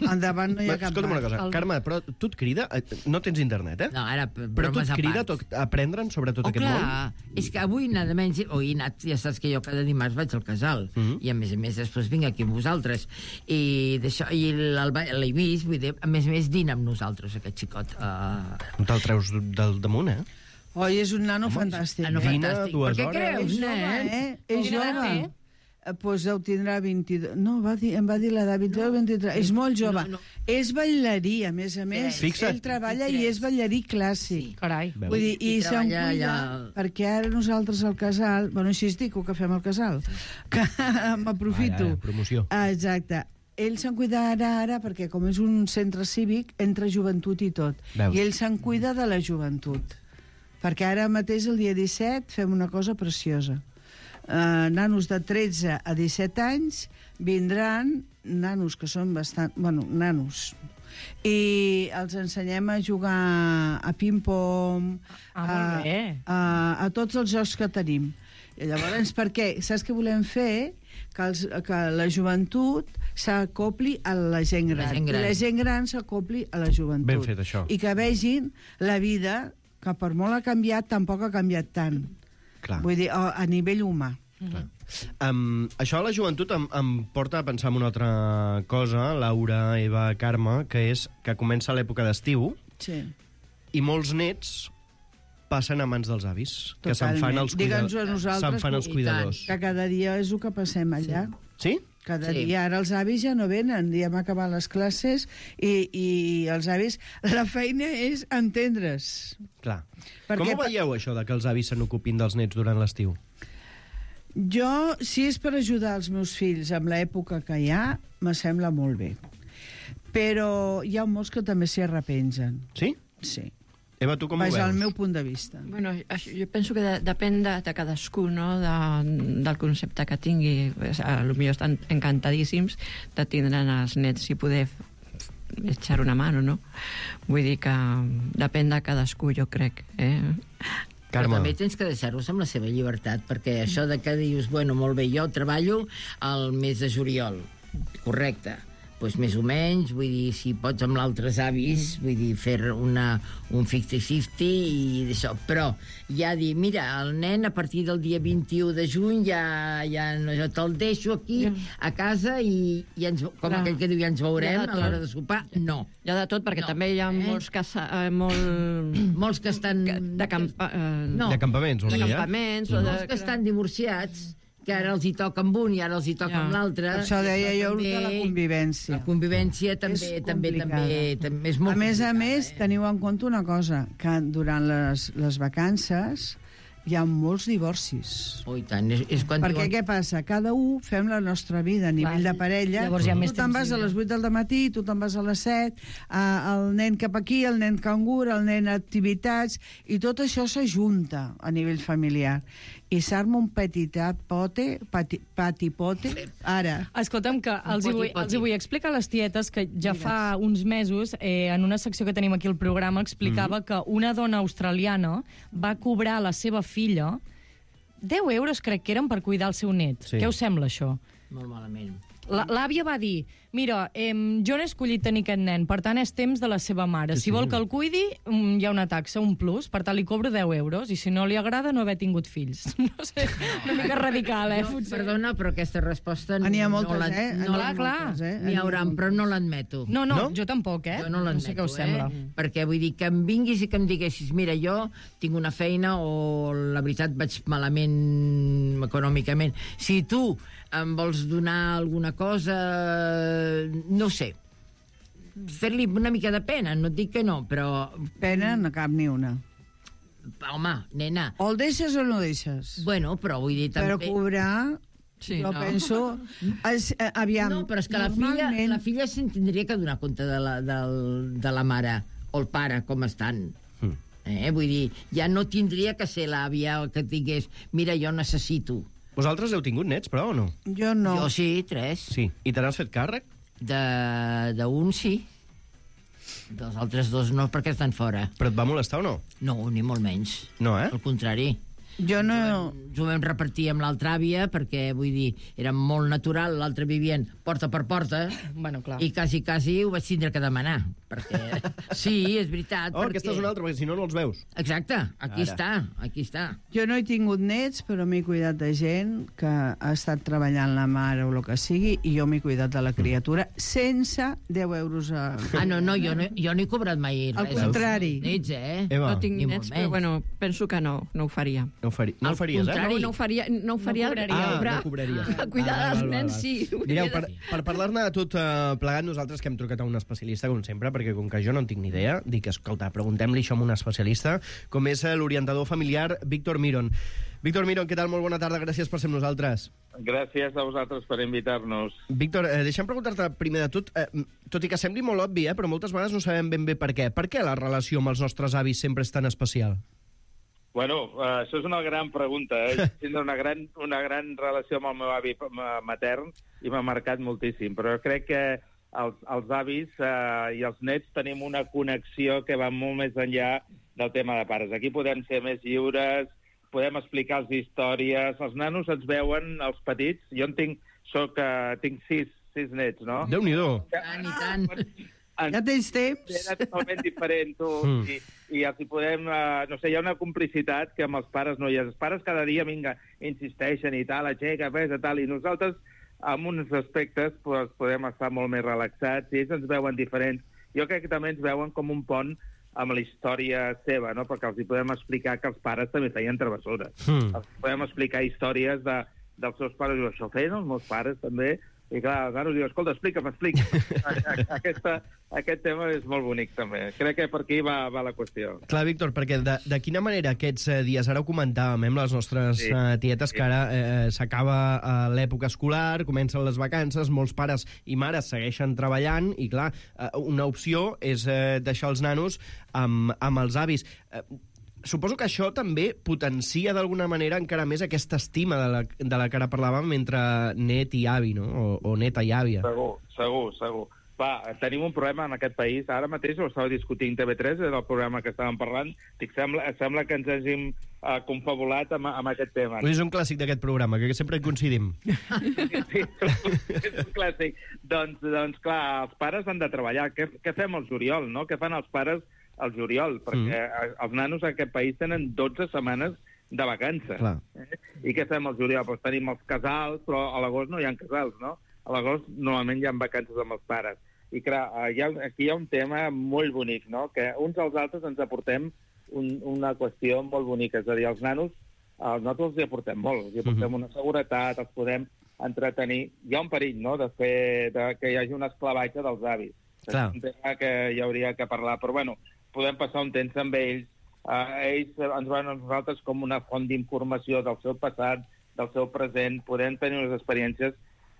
endavant no hi ha cap Escolta'm una cosa, Carme, però tu et crida... No tens internet, eh? No, ara, però tu et crida a aprendre'n sobre tot aquest món? Clar, és que avui nada menys... he anat, ja saps que jo cada dimarts vaig al casal, i a més després vinc aquí amb vosaltres, i d'això, i l'he vist, vull dir, a més dina amb nosaltres, aquest xicot. No te'l treus del damunt, eh? Oi, és un nano fantàstic. Dina 2 hores. Per què creus, nen? És jove. Doncs deu tindrà 22... No, em va dir l'edat 22 o 23. És molt jove. És ballarí, a més. Ell treballa i és ballarí clàssic. Carai. Vull dir, i se'n cuida, perquè ara nosaltres al casal... Bueno, així es diu que fem al casal. Que m'aprofito. Promoció. Exacte. Ell se'n cuida ara perquè, com és un centre cívic, entra joventut i tot. I ell se'n cuida de la joventut. Perquè ara mateix, el dia 17, fem una cosa preciosa. Nanos de 13 a 17 anys vindran, nanos que són bastant... Bueno, nanos. I els ensenyem a jugar a ping-pong, a tots els jocs que tenim. I llavors, per què? Saps què volem fer? Que la joventut s'acopli a la gent gran. I la gent gran s'acopli a la joventut. Ben fet, això. I que vegin la vida, que per molt ha canviat, tampoc ha canviat tant. Clar. Vull dir, a nivell humà. Això a la joventut em porta a pensar en una altra cosa, Laura, Eva, Carme, que és que comença l'època d'estiu i molts nets passen a mans dels avis, que se'n fan els cuidadors. Que cada dia és el que passem allà. Sí? Cada dia. Ara els avis ja no venen, ja hem acabat les classes i els avis... La feina és entendre's. Clar. Com ho veieu, això, que els avis se n'ocupin dels nets durant l'estiu? Jo, si és per ajudar els meus fills amb l'època que hi ha, me sembla molt bé. Però hi ha molts que també s'hi arrepengen. Sí? Sí. Eva, tu com ho veus? Vaja, al meu punt de vista. Bueno, jo penso que depèn de cadascú, no?, del concepte que tingui. Potser estan encantadíssims de tindre els nets i poder echar una mano, no? Vull dir que depèn de cadascú, jo crec, Però també tens que deixar-los amb la seva llibertat, perquè això de que dius, bueno, molt bé, jo treballo al mes de juliol, correcte, doncs més o menys, vull dir, si pots amb l'altres avis, vull dir, fer un 50-50 i d'això, però ja dir, mira, el nen a partir del dia 21 de juny ja te'l deixo aquí a casa i com aquell que diu, ja ens veurem a l'hora de sopar, no. Hi ha de tot, perquè també hi ha molts que estan... De campaments, de campaments, molts que estan divorciats, que ara els hi toca amb un i ara els hi toca amb l'altre. Això deia jo de la convivència. La convivència també és molt complicada. A més, teniu en compte una cosa, que durant les vacances hi ha molts divorcis. Oh, i tant. És quan Perquè què passa? Cada un fem la nostra vida a nivell de parella. Llavors hi ha més tu te'n vas a les 8 del matí, tu te'n vas a les 7, el nen cap aquí, el nen cangur, el nen a activitats, i tot això s'ajunta a nivell familiar. I s'arma un patipote, ara. Escolta'm, que els hi vull explicar a les tietes que ja fa uns mesos, en una secció que tenim aquí al programa, explicava que una dona australiana va cobrar a la seva filla 10 euros, crec que eren, per cuidar el seu net. Sí. Què us sembla, això? Molt malament. L'àvia va dir, mira, jo no he escollit tenir aquest nen, per tant és temps de la seva mare. Si vol que el cuidi, hi ha una taxa, un plus, per tant li cobro 10 euros, i si no li agrada no haver tingut fills. No sé, una mica radical, potser. Perdona, però aquesta resposta... N'hi ha moltes, Clar. N'hi haurà, però no l'admeto. No, jo tampoc, Jo no l'admeto, sé què us sembla. Perquè vull dir que em vinguis i que em diguessis, mira, jo tinc una feina o la veritat vaig malament econòmicament. Si tu em vols donar alguna cosa, no sé, fer-li una mica de pena, no et dic que no, però... Pena no cap ni una. Home, nena... O el deixes o no deixes. Bueno, però vull dir també... Però cobrar... Sí, jo no. penso... Aviam, No, però és que la filla se'n tindria que donar compte de la mare o el pare, com estan. Vull dir, ja no tindria que ser l'àvia que et digués, mira, jo necessito. Vosaltres heu tingut nets, però, o no? Jo no. Jo sí, 3. Sí. I te n'has fet càrrec? D'un sí. Dels altres 2 no, perquè estan fora. Però et va molestar o no? No, ni molt menys. No, Al contrari. Jo no... Ens ho vam repartir amb l'altra àvia perquè, vull dir, era molt natural, l'altre vivien porta per porta, Bueno, clar. i quasi ho vaig tindre que demanar, perquè... Sí, és veritat, Oh, aquesta és una altra, perquè si no, no els veus. Exacte, aquí Ara. està. Jo no he tingut nets, però m'he cuidat de gent que ha estat treballant la mare o el que sigui, i jo m'he cuidat de la criatura sense 10 euros a... No, jo no he cobrat mai res. Al contrari. Nets, Eva. No tinc Ni nets, molt però menys. bueno, penso que no ho faria. No ho faries, contrari. No ho faria No cobraria. no cobraries. A cuidar dels nens, sí. Mireu, per parlar-ne de tot plegat, nosaltres que hem trucat a un especialista, com sempre, perquè com que jo no en tinc ni idea, dic, escolta, preguntem-li això a un especialista, com és l'orientador familiar Víctor Miron. Víctor Miron, què tal? Molt bona tarda, gràcies per ser amb nosaltres. Gràcies a vosaltres per invitar-nos. Víctor, deixa'm preguntar-te primer de tot, tot i que sembli molt obvi, però moltes vegades no sabem ben bé per què. Per què la relació amb els nostres avis sempre és tan especial? Bueno, això és una gran pregunta. Tinc una gran relació amb el meu avi matern i m'ha marcat moltíssim, però crec que els avis i els nets tenim una connexió que va molt més enllà del tema de pares. Aquí podem ser més lliures, podem explicar-los històries, els nanos ens veuen, els petits, jo tinc 6 nets, no? Déu-n'hi-do. Tant i tant. Ja tens temps? Era totalment diferent, tu. I els hi podem... no sé, hi ha una complicitat que amb els pares no hi ha. Els pares cada dia, vinga, insisteixen i tal, aixeca, pesa, tal, i nosaltres, en uns aspectes, pues, podem estar molt més relaxats, i ells ens veuen diferents. Jo crec que també ens veuen com un pont amb la història seva, no? Perquè els hi podem explicar que els pares també feien travessures. Els podem explicar històries dels seus pares, i això feien els meus pares també, i clar, els nanos diuen, escolta, explica'm. Aquest tema és molt bonic, també. Crec que per aquí va la qüestió. Clar, Víctor, perquè de quina manera aquests dies, ara ho comentàvem amb les nostres tietes, que ara s'acaba l'època escolar, comencen les vacances, molts pares i mares segueixen treballant, i clar, una opció és deixar els nanos amb els avis. Suposo que això també potencia d'alguna manera encara més aquesta estima de la que ara parlàvem entre net i avi, no? O neta i àvia. Segur. Va, tenim un problema en aquest país. Ara mateix ho estava discutint TV3, era el programa que estàvem parlant. Sembla que ens hàgim confabulat amb aquest tema. És un clàssic d'aquest programa, que sempre hi coincidim. Sí, és un clàssic. Doncs clar, els pares han de treballar. Què fem al juliol, no? Què fan els pares al juliol? Perquè els nanos en aquest país tenen 12 setmanes de vacances. I què fem al juliol? Doncs tenim els casals, però a l'agost no hi ha casals, no? A l'agost normalment hi ha vacances amb els pares. I clar, aquí hi ha un tema molt bonic, no? Que uns als altres ens aportem una qüestió molt bonica. És a dir, els nanos, nosaltres els hi aportem molt. Els hi aportem una seguretat, els podem entretenir. Hi ha un perill, no?, que hi hagi un esclavatge dels avis. És un tema que hi hauria que parlar. Però, bueno, podem passar un temps amb ells, ells ens veuen a nosaltres com una font d'informació del seu passat, del seu present, podem tenir unes experiències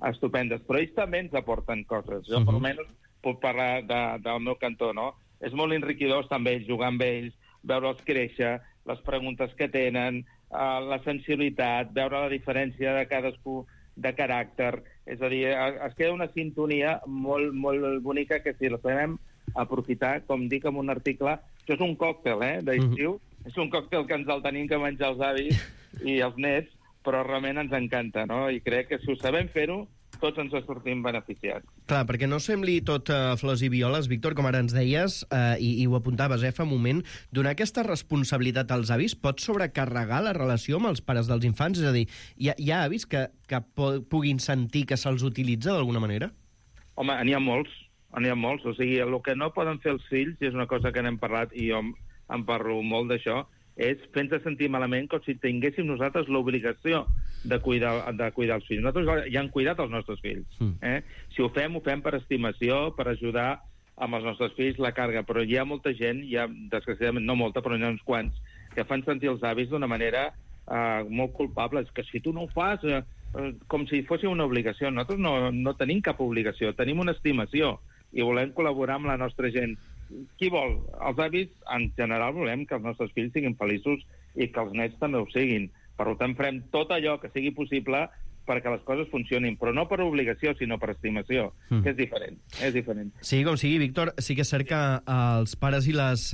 estupendes, però ells també ens aporten coses. Jo, almenys, puc parlar del meu cantó, no? És molt enriquidor estar amb ells, jugar amb ells, veure'ls créixer, les preguntes que tenen, la sensibilitat, veure la diferència de cadascú de caràcter. És a dir, es queda una sintonia molt, molt bonica que si la sabem aprofitar, com dic en un article, això és un còctel, d'estiu, és un còctel que ens el tenim que menjar els avis i els nets, però realment ens encanta, no? I crec que si ho sabem fer-ho, tots ens sortim beneficiats. Clar, perquè no sembli tot flors i violes, Víctor, com ara ens deies, i ho apuntaves fa un moment, donar aquesta responsabilitat als avis pot sobrecarregar la relació amb els pares dels infants? És a dir, hi ha avis que puguin sentir que se'ls utilitza d'alguna manera? Home, n'hi ha molts. O sigui, el que no poden fer els fills, i és una cosa que n'hem parlat, i jo en parlo molt d'això, és fer-nos sentir malament com si tinguéssim nosaltres l'obligació de cuidar els fills. Nosaltres ja hem cuidat els nostres fills. Si ho fem per estimació, per ajudar amb els nostres fills la càrrega, però hi ha molta gent, desgraciadament no molta, però n'hi ha uns quants, que fan sentir els avis d'una manera molt culpable. És que si tu no ho fas, com si fos una obligació. Nosaltres no tenim cap obligació, tenim una estimació i volem col·laborar amb la nostra gent. Qui vol? Els avis, en general, volem que els nostres fills siguin feliços i que els nets també ho siguin. Per tant, farem tot allò que sigui possible perquè les coses funcionin, però no per obligació, sinó per estimació, que és diferent. Sí, com sigui, Víctor, sí que és cert que els pares i les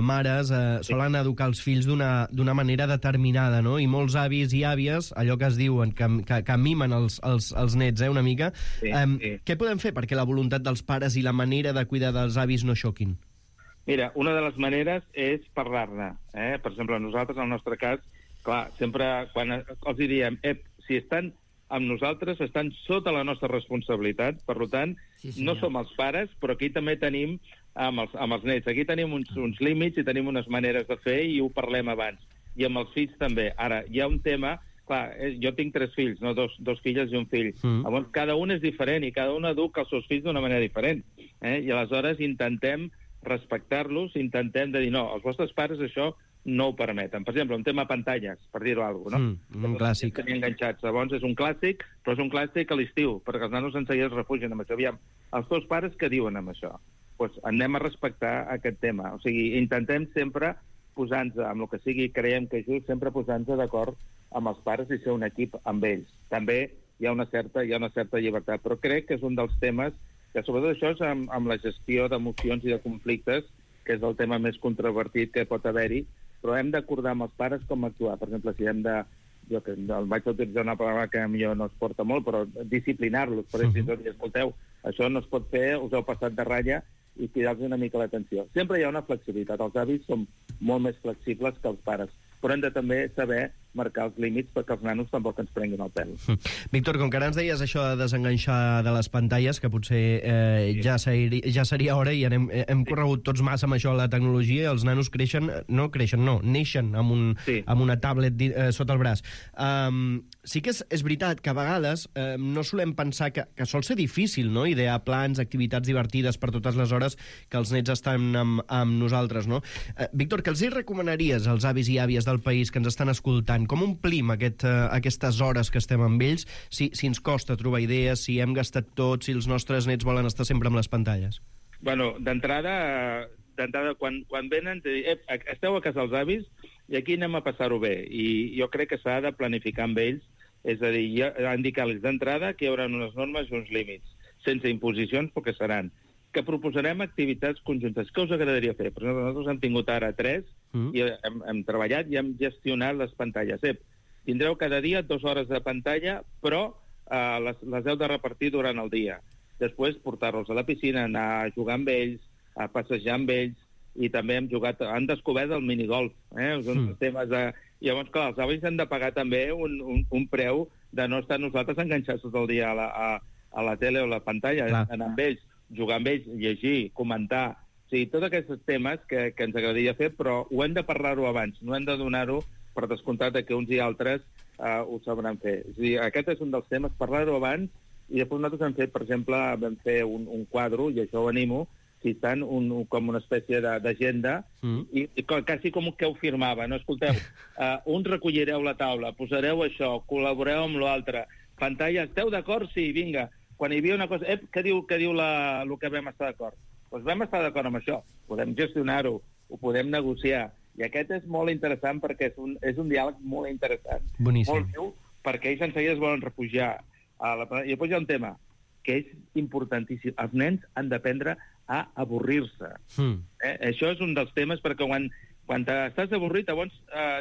mares solen educar els fills d'una manera determinada, no? I molts avis i àvies, allò que es diuen, que mimen els nets, una mica. Què podem fer perquè la voluntat dels pares i la manera de cuidar dels avis no xoquin? Mira, una de les maneres és parlar-ne. Per exemple, nosaltres, en el nostre cas, clar, sempre quan els diem, si estan amb nosaltres, estan sota la nostra responsabilitat, per tant, no som els pares, però aquí també tenim amb els nets. Aquí tenim uns límits i tenim unes maneres de fer i ho parlem abans. I amb els fills també. Ara, hi ha un tema... Clar, jo tinc 3 fills, no? Dos filles i un fill. Llavors, cada un és diferent i cada un educa els seus fills d'una manera diferent. I aleshores intentem respectar-los, intentem de dir, no, els vostres pares això no ho permeten. Per exemple, un tema pantalles, per dir-ho alguna cosa, no? Un clàssic. Tenien enganxats. Llavors, és un clàssic, però és un clàssic a l'estiu, perquè els nanos en seguida es refugien amb això. Aviam, els teus pares què diuen amb això? Doncs anem a respectar aquest tema. O sigui, intentem sempre posar-nos amb el que sigui, creiem que és just, sempre posar-nos d'acord amb els pares i ser un equip amb ells. També hi ha una certa llibertat, però crec que és un dels temes que, sobretot això, és amb la gestió d'emocions i de conflictes, que és el tema més controvertit que pot haver-hi, però hem d'acordar amb els pares com actuar. Per exemple, si hem de... Jo que vaig utilitzar una paraula que a mi no es porta molt, però disciplinar-los, per exemple, escolteu, això no es pot fer, us heu passat de ratlla, i cridar-los una mica l'atenció. Sempre hi ha una flexibilitat. Els avis són molt més flexibles que els pares, però hem de també saber marcar els límits perquè els nanos tampoc ens prenguin el pèl. Víctor, com que ara ens deies això de desenganxar de les pantalles, que potser ja seria hora i hem corregut tots massa amb això de la tecnologia i els nanos neixen amb una tablet sota el braç. Sí que és veritat que a vegades no solem pensar que sol ser difícil, no?, idear plans, activitats divertides per totes les hores que els nets estan amb nosaltres, no? Víctor, què els recomanaries als avis i àvies del país que ens estan escoltant? Com omplim aquestes hores que estem amb ells si ens costa trobar idees, si hem gastat tot, si els nostres nets volen estar sempre amb les pantalles? Bueno, d'entrada, quan venen, esteu a casa dels avis i aquí anem a passar-ho bé. I jo crec que s'ha de planificar amb ells, és a dir, indicar-los d'entrada que hi haurà unes normes i uns límits, sense imposicions, perquè seran. Que proposarem activitats conjuntes. Què us agradaria fer? Per exemple, nosaltres hem tingut ara 3 i hem treballat i hem gestionat les pantalles. Tindreu cada dia 2 hores de pantalla, però les heu de repartir durant el dia. Després portar-los a la piscina, anar a jugar amb ells, a passejar amb ells, i també han descobert el minigolf. Uns temes de... Llavors, clar, els avis han de pagar també un preu de no estar nosaltres enganxats tot el dia a la tele o a la pantalla, anar amb ells, jugar amb ells, llegir, comentar... O sigui, tots aquests temes que ens agradaria fer, però ho hem de parlar-ho abans, no hem de donar-ho per descomptat que uns i altres ho sabran fer. És a dir, aquest és un dels temes, parlar-ho abans, i després nosaltres hem fet, per exemple, vam fer un quadre, i això ho animo, citant com una espècie d'agenda, i quasi com que ho firmava, no? Escolteu, uns recollireu la taula, posareu això, col·laboreu amb l'altre, pantalla, esteu d'acord? Sí, vinga. Quan hi havia una cosa... Què diu el que vam estar d'acord? Doncs vam estar d'acord amb això. Podem gestionar-ho, ho podem negociar. I aquest és molt interessant perquè és un diàleg molt interessant. Boníssim. Molt viu, perquè ells en seguida es volen refugiar. I després hi ha un tema que és importantíssim. Els nens han d'aprendre a avorrir-se. Això és un dels temes perquè quan estàs avorrit, llavors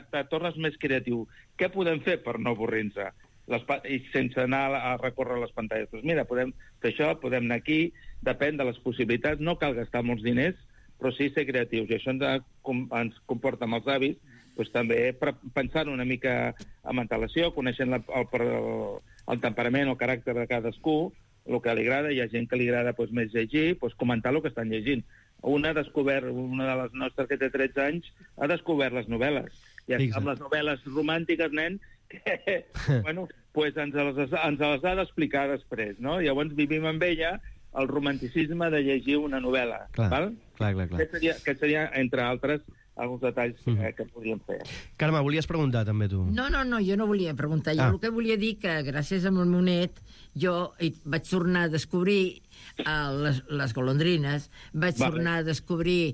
te tornes més creatiu. Què podem fer per no avorrir-se? I sense anar a recórrer les pantalles. Doncs mira, podem fer això, podem anar aquí, depèn de les possibilitats, no cal gastar molts diners, però sí ser creatius. I això ens comporta amb els avis, doncs també pensant una mica amb antelació, coneixent el temperament o el caràcter de cadascú, el que li agrada, hi ha gent que li agrada més llegir, comentar el que estan llegint. Una de les nostres que té 13 anys ha descobert les novel·les. I amb les novel·les romàntiques, nen, que ens les ha d'explicar després, no? Llavors vivim amb ella el romanticisme de llegir una novel·la. Clar. Aquest seria, entre altres, alguns detalls que podríem fer. Carme, volies preguntar també tu? No, jo no volia preguntar. Jo el que volia dir que gràcies al meu net jo vaig tornar a descobrir les golondrines, vaig tornar a descobrir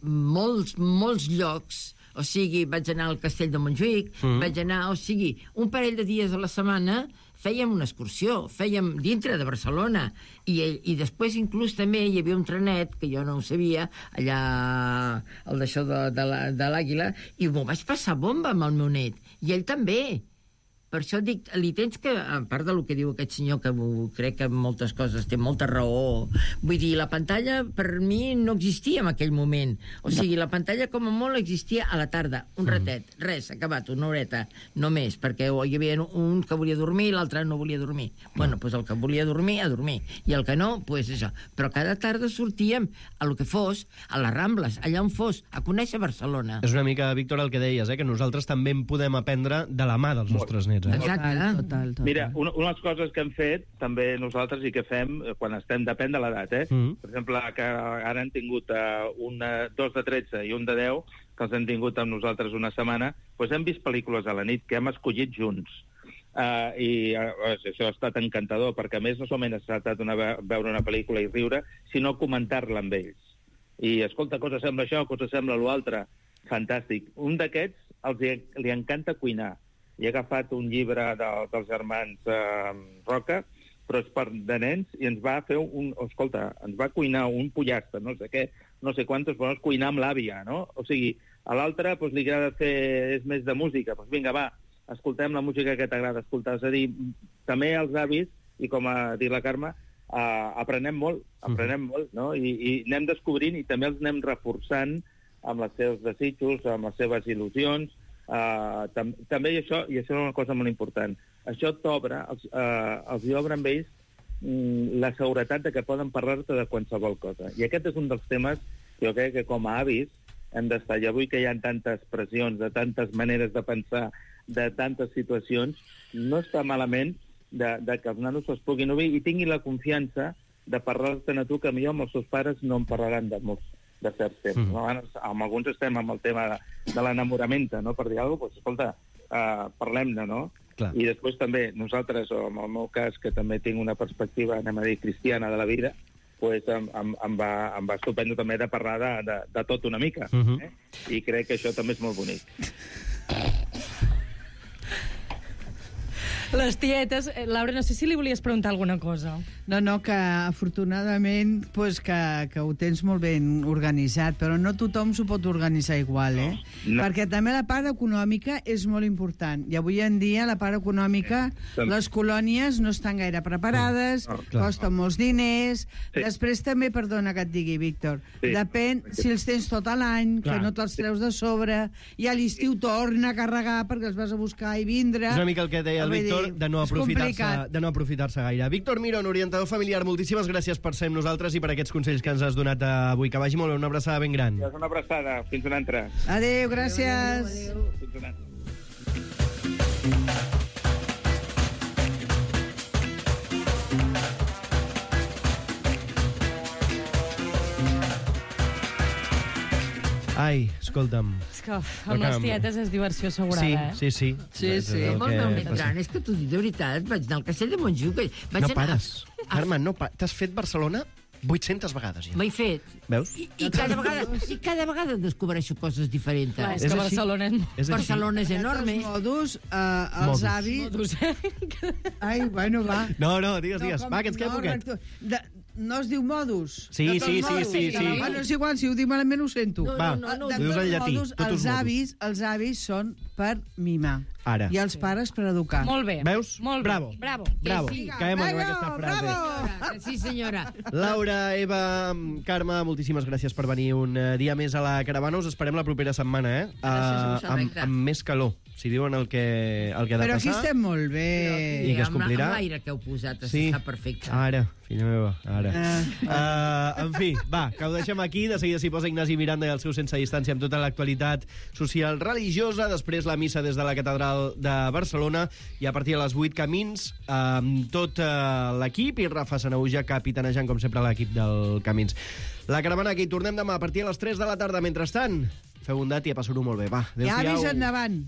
molts llocs. O sigui, vaig anar al Castell de Montjuïc, vaig anar, un parell de dies a la setmana fèiem una excursió, fèiem dintre de Barcelona, i després inclús també hi havia un trenet, que jo no ho sabia, allà al d'això de l'Àguila, i m'ho vaig passar bomba amb el meu net, i ell també. Per això dic, li tens que, a part del que diu aquest senyor, que crec que moltes coses té molta raó, vull dir, la pantalla per mi no existia en aquell moment. O sigui, la pantalla com a molt existia a la tarda, un ratet, res, acabat, una horeta, no més, perquè hi havia un que volia dormir i l'altre no volia dormir. Bueno, doncs el que volia dormir, a dormir, i el que no, doncs això. Però cada tarda sortíem a lo que fos, a les Rambles, allà on fos, a conèixer Barcelona. És una mica, Víctor, el que deies, que nosaltres també en podem aprendre de la mà dels nostres nets. Exacte. Total. Mira, una de les coses que hem fet, també nosaltres, i que fem quan estem, depèn de l'edat, Per exemple, que ara han tingut dos de 13 i un de 10, que els hem tingut amb nosaltres una setmana, doncs hem vist pel·lícules a la nit que hem escollit junts. I això ha estat encantador, perquè a més no solament ha estat veure una pel·lícula i riure, sinó comentar-la amb ells. I, escolta, cosa sembla això, cosa sembla l'altre. Fantàstic. Un d'aquests li encanta cuinar. I he agafat un llibre dels germans Roca, però és de nens, i ens va fer ens va cuinar un pollastre, no sé què, no sé quantos, però és cuinar amb l'àvia, no? O sigui, a l'altre li agrada és més de música, doncs vinga, va, escoltem la música que t'agrada escoltar. És a dir, també els avis, i com ha dit la Carme, aprenem molt, no? I anem descobrint i també els anem reforçant amb els seus desitjos, amb les seves il·lusions. També això és una cosa molt important. Això t'obre, els obre amb ells la seguretat de que poden parlar-te de qualsevol cosa. I aquest és un dels temes que jo crec que com a avis hem d'estar. I avui que hi ha tantes pressions, de tantes maneres de pensar, de tantes situacions, no està malament de que els nanos es puguin obrir i tinguin la confiança de parlar-te a tu, que millor amb els seus pares no en parlaran de certs temps. No? Amb alguns estem amb el tema de l'enamorament, no? Per dir alguna cosa, escolta, parlem-ne, no? Clar. I després també nosaltres, o en el meu cas, que també tinc una perspectiva, anem a dir, cristiana de la vida, pues em va estupendo també de parlar de tot una mica. I crec que això també és molt bonic. Les tietes... Laura, no sé si li volies preguntar alguna cosa. No, que afortunadament pues, que ho tens molt ben organitzat, però no tothom s'ho pot organitzar igual, No. Perquè també la part econòmica és molt important. I avui en dia la part econòmica, les colònies no estan gaire preparades, costen molts diners. Després també, perdona que et digui, Víctor, depèn si els tens tot l'any, que no te'ls treus de sobre, i a l'estiu torna a carregar perquè els vas a buscar i vindre. És una mica el que deia el Víctor, de no aprofitar-se gaire. Víctor Mirón, orientador familiar, moltíssimes gràcies per ser amb nosaltres i per aquests consells que ens has donat avui. Que vagi molt bé, una abraçada ben gran. Una abraçada, fins una altra. Adéu, gràcies. Adéu. Fins una altra. Ai, escolta'm. És que amb les tietes és diversió assegurada, Sí. Amb el meu net gran, és que t'ho dic de veritat, vaig anar al Castell de Montjuïc. No pares, Carme, no pares. T'has fet Barcelona 800 vegades, ja. M'he fet. Veus? I cada vegada descobreixo coses diferents. Clar, és que Barcelona és enorme. Modus, els avis... Ai, bueno, va. No, digues. Va, que ens queda poquet. No es diu modus? Sí. Bueno, és igual, si ho diu malament ho sento. Va, ho dius en llatí. Els avis són per mimar. Ara. I els pares per educar. Molt bé. Veus? Molt bé. Bravo. Sí. Caem en aquesta frase. Sí, senyora. Laura, Eva, Carme, moltíssimes gràcies per venir un dia més a la caravana. Us esperem la propera setmana, Gràcies, amb més calor, si diuen el que ha de passar. Però aquí estem molt bé. I que es complirà. Amb l'aire que heu posat està perfecte. Ara, filla meva, ara. En fi, va, que ho deixem aquí. De seguida s'hi posa Ignasi Miranda i el seu Sense Distància amb tota l'actualitat social religiosa. Després la missa des de la catedral de Barcelona i a partir de les 8 Camins amb tot l'equip i Rafa Sanauja capitanejant com sempre l'equip del Camins. La caravana que hi tornem demà a partir de les 3 de la tarda. Mentrestant, feu bondat i a passar-ho molt bé. Va, adéu-siau. I avis endavant.